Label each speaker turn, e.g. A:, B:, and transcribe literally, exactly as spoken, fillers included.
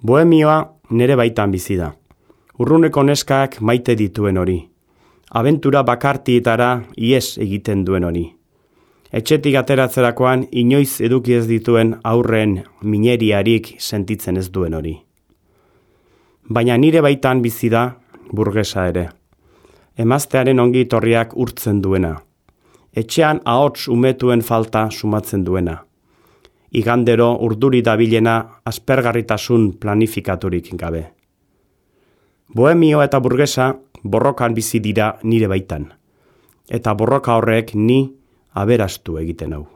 A: Bohemioa nere baitan bizi da. Urruneko neskak maite dituen hori. Abentura bakartietara ies egiten duen hori. Etxetik ateratzerakoan inoiz eduki ez dituen aurren mineriarik sentitzen ez duen hori. Baina nire baitan bizi da burgesa ere. Emaztearen ongi torriak urtzen duena. Etxean ahots umetuen falta sumatzen duena. Igandero urduri dabilena aspergarritasun planifikaturik gabe. Bohemio eta burgesa borrokan bizi dira nire baitan. Eta borroka horrek ni aberastu egiten hau.